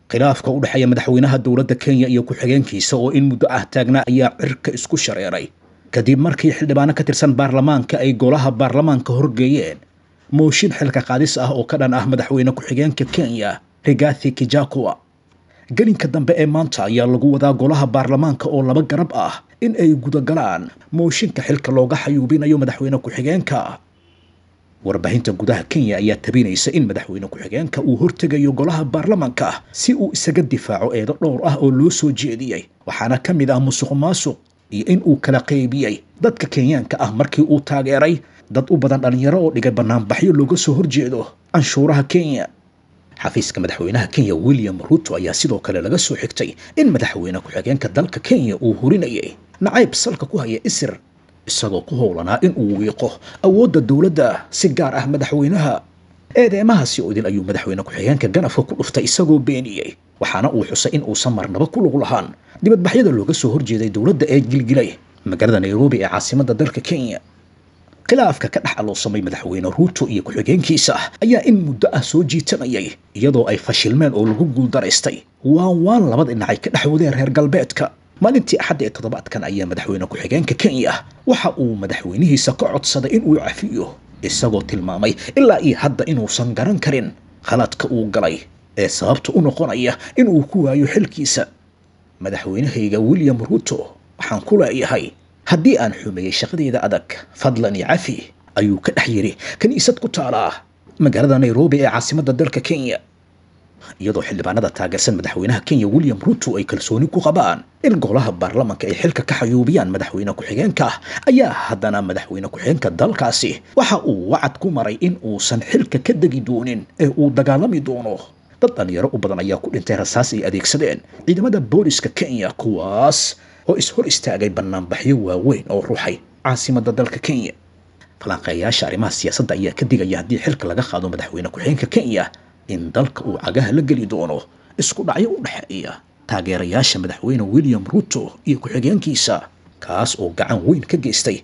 Khilaafka u dhexeeya madaxweynaha dowladda Kenya iyo ku-xigeenkiisa oo in muddo ah taagnaa ayaa cirka isku shareeray kadib markii xildhibaano ka tirsan baarlamaanka ay golaha baarlamaanka horgeeyeen mooshin xilka qaadis ah oo ka dhan ah madaxweyne ku-xigeenka Kenya Rigathi Gachagua. Gelinka dambe ee maanta ayaa lagu wadaa golaha baarlamaanka oo laba garab ah in ay gudagalaan mooshinka xilka looga xayuubinayo madaxweyne ku-xigeenka. Warbaahinta gudaha Kenya ayaa tabinaysa in madaxweyne ku-xigeenka uu hortegayo golaha baarlamaanka si uu isaga difaaco eedo dhowr ah oo loo soo jeediyey, waxaana ka mid ah musuq maasuq iyo in uu kala qaybiyey dadka Kenyaanka ah markii uu taageeray dad u badan dhalinyaro oo dhigay banaanbaxyo looga soo horjeedo canshuuraha Kenya. Xafiiska madaxweynaha Kenya William Ruto ayaa sidoo kale laga soo xigtay in madaxweyne ku-xigeenka dalka Kenya uu hurinayay nacayb salka ku haya isir, isagoo ku howlanaa in uu wiiqo awoodda dowladda si gaar ah madaxweynaha. Eedeemahaasi oo idil ayuu madaxweyne ku-xigeenka ganafka ku dhuftay isagoo beeniyey, waxaana uu xusay in uusan marnaba ku lug lahaan dibadbaxyada looga soo horjeeday dowladda ee gilgilay magaalada Nairobi ee caasimadda dalka Kenya. Khilaafka ka dhex aloosamay madaxweyne Ruto iyo ku-xigeenkiisa ayaa in muddo ah soo jiitamayay, iyadoo ay fashilmeen oo lagu guuldaraystay waan waan labada dhinac ay ka dhex wadeen reer galbeedka. Maalintii Axadda ee toddobaadkan ayaa madaxweyne ku-xigeenka Kenya waxa uu madaxweynihiisa ka codsaday in uu cafiyo, isagoo tilmaamay ilaa iyo hadda inuusan garan karin khaladka uu galay ee sababta u noqonaya inuu ku waayo xilkiisa. Madaxweynahayga William Ruto, waxaan ku leeyahay haddii aan xumeeyey shaqadeyda adag, fadlan iyo cafi, ayuu ka dhex yidhi kiniisad ku taalaa magaalada Nairobi ee caasimadda dalka Kenya. Iyadoo xildhibaanada taageersan madaxweynaha Kenya William Ruto ay kalsooni ku qabaan in golaha baarlamaanka ay xilka ka xayuubiyaan madaxweyne ku-xigeenka, ayaa haddana madaxweyne ku-xigeenka dalkaasi waxa uu wacad ku maray in uusan xilka ka degi doonin ee uu dagaalami doono. Dad dhalinyaro u badan ayaa ku dhintay rasaas ay adeegsadeen ciidamada booliska Kenya, kuwaas oo is-hor istaagay banaanbaxyo waaweyn oo ruxay caasimadda dalka Kenya. Falanqeeyaasha arrimaha siyaasadda ayaa ka digaya haddii xilka laga qaado madaxweyne ku-xigeenka Kenya in dalka uu cagaha la geli doono isku dhacyo u dhexeeya taageerayaasha madaxweyne William Ruto iyo ku-xigeenkiisa, kaas oo gacan weyn ka geystay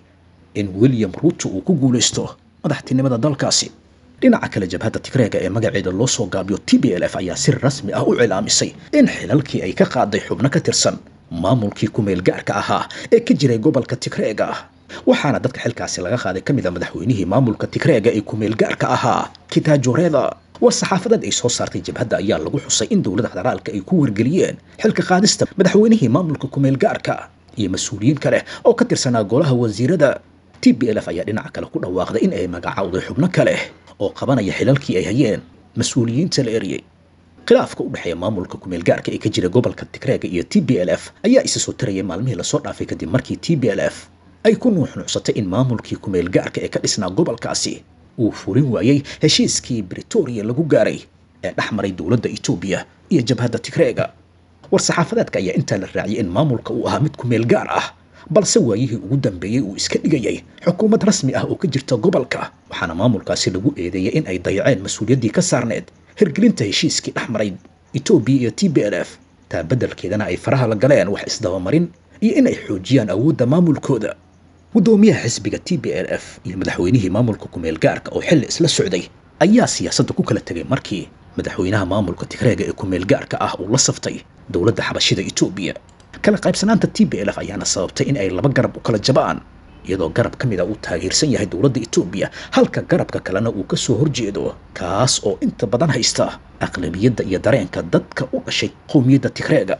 in William Ruto uu ku guulaysto madaxtinimada dalkaasi. Dhinaca kale, jabhadda Tigreega ee magaceeda loo soo gaabiyo TPLF ayaa si rasmi ah u cilaamisay in xilalkii ay ka qaaday xubno ka tirsan maamulkii ku-meel gaarka ahaa ee ka jiray gobolka Tigreega, waxaana dadka xilkaasi laga qaaday ka mid ah madaxweynihii maamulka Tigreega ee ku-meel gaarka ahaa Kitaajoreda. War-saxaafadeed ay soo saartay jabhadda ayaa lagu xusay in dowladda federaalka ay ku wargeliyeen xilka qaadista madaxweynihii maamulka ku-meel gaarka iyo mas-uuliyiin kale oo ka tirsanaa golaha wasiirada. TPLF ayaa dhinaca kale ku dhawaaqday in ay magacowday xubno kale oo qabanaya xilalkii ay hayeen mas-uuliyiinta la eriyey. Khilaafka u dhexeeya maamulka ku-meel gaarka ee ka jira gobolka Tigreega iyo TPLF ayaa isa soo tarayay maalmihii lasoo dhaafay kadib markii TPLF ay ku nuuxnuuxsatay in maamulkii ku-meel gaarka ee ka dhisnaa gobolkaasi uu furin waayey heshiiskii Britoria lagu gaaray ee dhex maray dowladda Itoobiya iyo jabhadda Tigreega. War-saxaafadeedka ayaa intaa la raaciyay in maamulka uu ahaa mid ku-meel gaar ah, balse waayihii ugu dambeeyey uu iska dhigayay xukuumad rasmi ah oo ka jirta gobolka, waxaana maamulkaasi lagu eedeeyay in ay dayaceen mas-uuliyaddii ka saarneed hirgelinta heshiiskii dhex maray Itoobiya iyo TPLF, taa beddelkeedana ay faraha la galeen wax isdabamarin iyo in ay xoojiyaan awoodda maamulkooda. Guddoomiyaha xisbiga TPLF iyo madaxweynihii maamulka ku-meel gaarka oo xilli isla socday ayaa siyaasadda ku kala tegay markii madaxweynaha maamulka Tigreega ee ku-meel gaarka ah uu la saftay dowladda xabashida Itoobiya. Kala qaybsanaanta TPLF ayaana sababtay in ay laba garab u kala jabaan, iyadoo garab ka mid ah uu taageersan yahay dowladda Itoobiya halka garabka kalena uu ka soo horjeedo, kaas oo inta badan haysta aqlabiyadda iyo dareenka dadka u dhashay qowmiyadda Tigreega.